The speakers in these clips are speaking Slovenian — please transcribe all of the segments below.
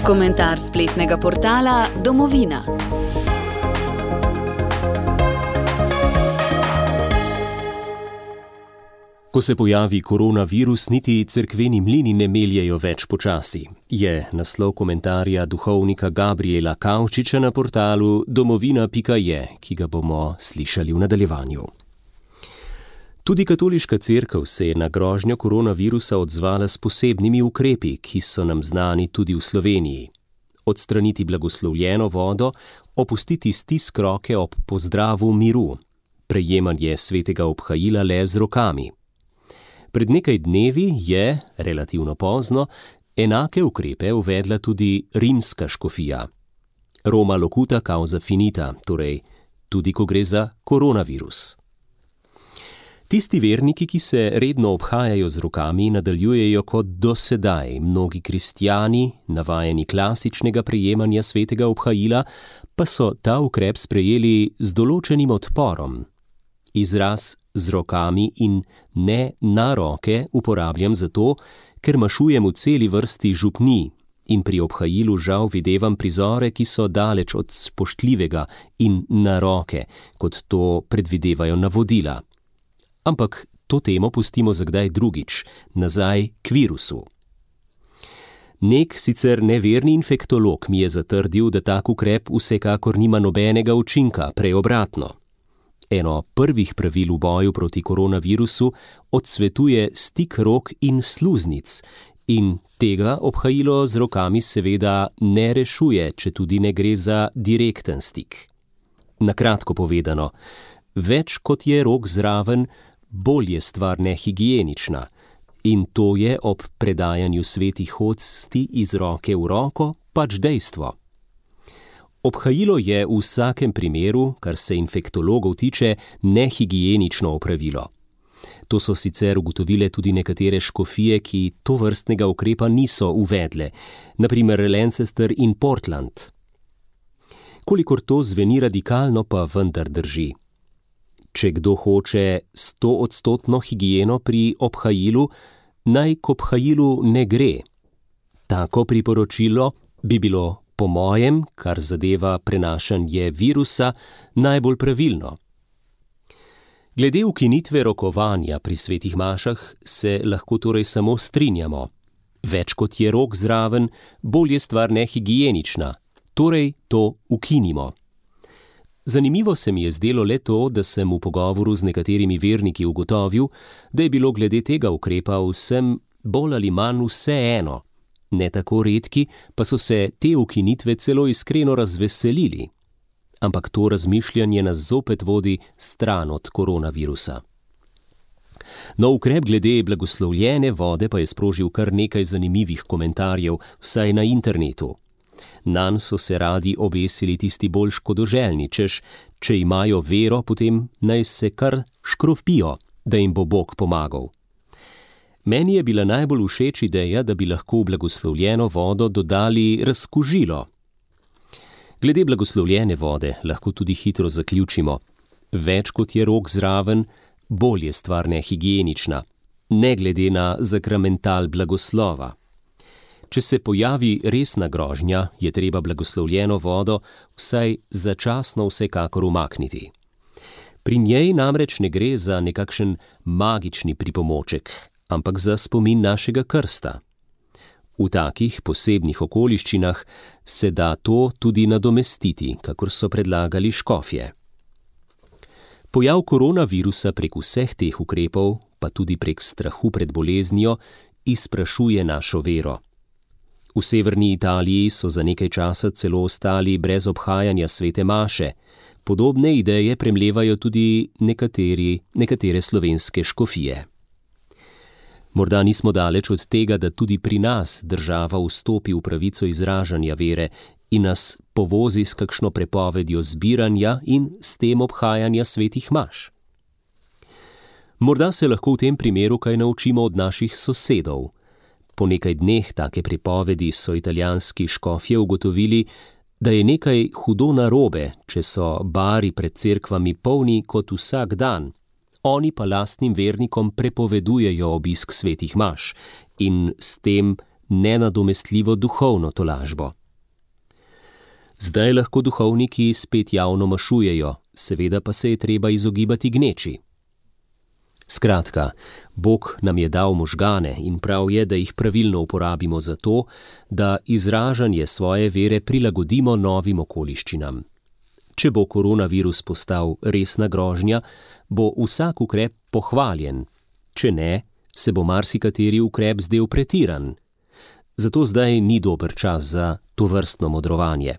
Komentar spletnega portala Domovina. Ko se pojavi koronavirus, niti cerkveni mlini ne meljejo več počasi, je naslov komentarja duhovnika Gabriela Kavčiča na portalu domovina.je, ki ga bomo slišali v nadaljevanju. Tudi katoliška cerkev se je na grožnjo koronavirusa odzvala s posebnimi ukrepi, ki so nam znani tudi v Sloveniji. Odstraniti blagoslovljeno vodo, opustiti stisk roke ob pozdravu miru, prejemanje svetega obhajila le z rokami. Pred nekaj dnevi je, relativno pozno, enake ukrepe uvedla tudi rimska škofija. Roma locuta causa finita, torej tudi ko gre za koronavirus. Tisti verniki, ki se redno obhajajo z rokami, nadaljujejo kot do sedaj. Mnogi kristjani, navajeni klasičnega prejemanja svetega obhajila, pa so ta ukrep sprejeli z določenim odporom. Izraz z rokami in ne na roke uporabljam zato, ker mašujem v celi vrsti župnij in pri obhajilu žal videvam prizore, ki so daleč od spoštljivega in na roke, kot to predvidevajo navodila. Ampak to temo pustimo za kdaj drugič, nazaj k virusu. Nek sicer neverni infektolog mi je zatrdil, da tak ukrep vsekakor nima nobenega učinka, prej obratno. Eno prvih pravil v boju proti koronavirusu odsvetuje stik rok in sluznic in tega obhajilo z rokami seveda ne rešuje, če tudi ne gre za direkten stik. Na kratko povedano, več kot je rok zraven, bolj je stvar nehigienična in to je ob predajanju svetih hostij iz roke v roko pač dejstvo. Obhajilo je v vsakem primeru, kar se infektologov tiče, nehigienično opravilo. To so sicer ugotovile tudi nekatere škofije, ki tovrstnega ukrepa niso uvedle, na primer Lancaster in Portland. Kolikor to zveni radikalno, pa vendar drži. Če kdo hoče 100% higieno pri obhajilu, naj k obhajilu ne gre. Tako priporočilo bi bilo po mojem, kar zadeva prenašanje virusa, najbolj pravilno. Glede ukinitve rokovanja pri svetih mašah se lahko torej samo strinjamo. Več kot je rok zraven, bolj je stvar nehigienična, torej to ukinimo. Zanimivo se mi je zdelo le to, da sem v pogovoru z nekaterimi verniki ugotovil, da je bilo glede tega ukrepa vsem bolj ali manj vseeno. Ne tako redki, pa so se te ukinitve celo iskreno razveselili. Ampak to razmišljanje nas zopet vodi stran od koronavirusa. No, ukrep glede blagoslovljene vode pa je sprožil kar nekaj zanimivih komentarjev, vsaj na internetu. Nanj so se radi obesili tisti bolj škodoželjni, češ, če imajo vero, potem naj se kar škropijo, da jim bo Bog pomagal. Meni je bila najbolj všeč ideja, da bi lahko v blagoslovljeno vodo dodali razkužilo. Glede blagoslovljene vode lahko tudi hitro zaključimo. Več kot je rok zraven, bolj je stvar nehigienična, ne glede na zakramental blagoslova. Če se pojavi resna grožnja, je treba blagoslovljeno vodo vsaj začasno vsekakor umakniti. Pri njej namreč ne gre za nekakšen magični pripomoček, ampak za spomin našega krsta. V takih posebnih okoliščinah se da to tudi nadomestiti, kakor so predlagali škofje. Pojav koronavirusa prek vseh teh ukrepov, pa tudi prek strahu pred boleznijo, izprašuje našo vero. V severni Italiji so za nekaj časa celo ostali brez obhajanja svete maše. Podobne ideje premlevajo tudi nekatere slovenske škofije. Morda nismo daleč od tega, da tudi pri nas država vstopi v pravico izražanja vere in nas povozi s kakšno prepovedjo zbiranja in s tem obhajanja svetih maš. Morda se lahko v tem primeru kaj naučimo od naših sosedov. Po nekaj dneh take prepovedi so italijanski škofje ugotovili, da je nekaj hudo narobe, če so bari pred cerkvami polni kot vsak dan. Oni pa lastnim vernikom prepovedujejo obisk svetih maš in s tem nenadomestljivo duhovno tolažbo. Zdaj lahko duhovniki spet javno mašujejo, seveda pa se je treba izogibati gneči. Skratka, Bog nam je dal možgane in prav je, da jih pravilno uporabimo za to, da izražanje svoje vere prilagodimo novim okoliščinam. Če bo koronavirus postal resna grožnja, bo vsak ukrep pohvaljen, če ne, se bo marsikateri ukrep zdel pretiran. Zato zdaj ni dober čas za tovrstno modrovanje.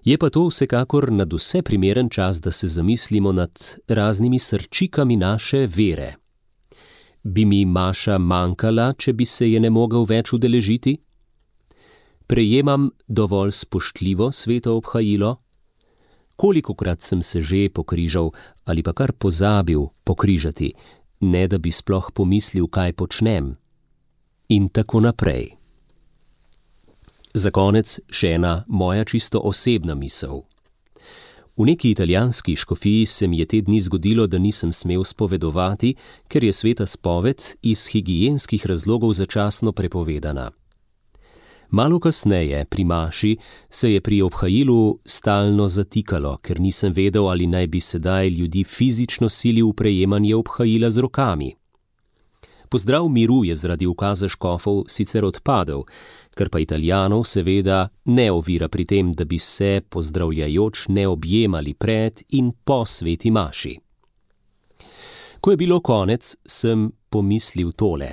Je pa to vsekakor nadvse primeren čas, da se zamislimo nad raznimi srčikami naše vere. Bi mi maša manjkala, če bi se je ne mogel več udeležiti? Prejemam dovolj spoštljivo sveto obhajilo? Kolikokrat sem se že pokrižal ali pa kar pozabil pokrižati, ne da bi sploh pomislil, kaj počnem? In tako naprej. Za konec še ena moja čisto osebna misel. V neki italijanski škofiji se mi je te dni zgodilo, da nisem smel spovedovati, ker je sveta spoved iz higienskih razlogov začasno prepovedana. Malo kasneje, pri maši, se je pri obhajilu stalno zatikalo, ker nisem vedel, ali naj bi sedaj ljudi fizično silil v prejemanje obhajila z rokami. Pozdrav miru je zaradi ukaza škofov sicer odpadel, kar pa Italijanov seveda ne ovira pri tem, da bi se pozdravljajoč ne objemali pred in po sveti maši. Ko je bilo konec, sem pomislil tole.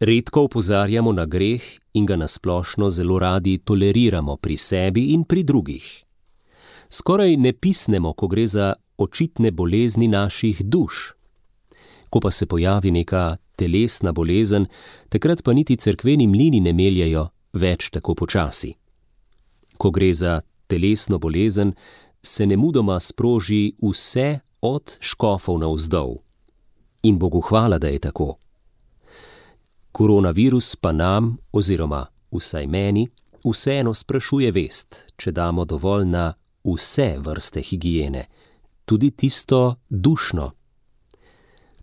Redko opozarjamo na greh in ga nasplošno zelo radi toleriramo pri sebi in pri drugih. Skoraj ne pisnemo, ko gre za očitne bolezni naših duš. Ko pa se pojavi neka telesna bolezen, takrat pa niti cerkveni mlini ne meljejo več tako počasi. Ko gre za telesno bolezen, se nemudoma sproži vse od škofov navzdol. In Bogu hvala, da je tako. Koronavirus pa nam, oziroma vsaj meni, vseeno sprašuje vest, če damo dovolj na vse vrste higiene, tudi tisto dušno.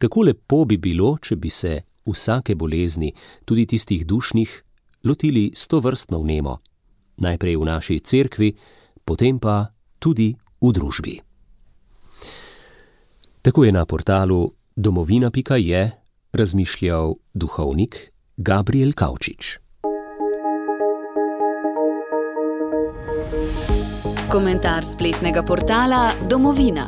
Kako lepo bi bilo, če bi se vsake bolezni, tudi tistih dušnih, lotili stovrstno vnemo. Najprej v naši cerkvi, potem pa tudi v družbi. Tako je na portalu domovina.je razmišljal duhovnik Gabriel Kavčič. Komentar spletnega portala Domovina.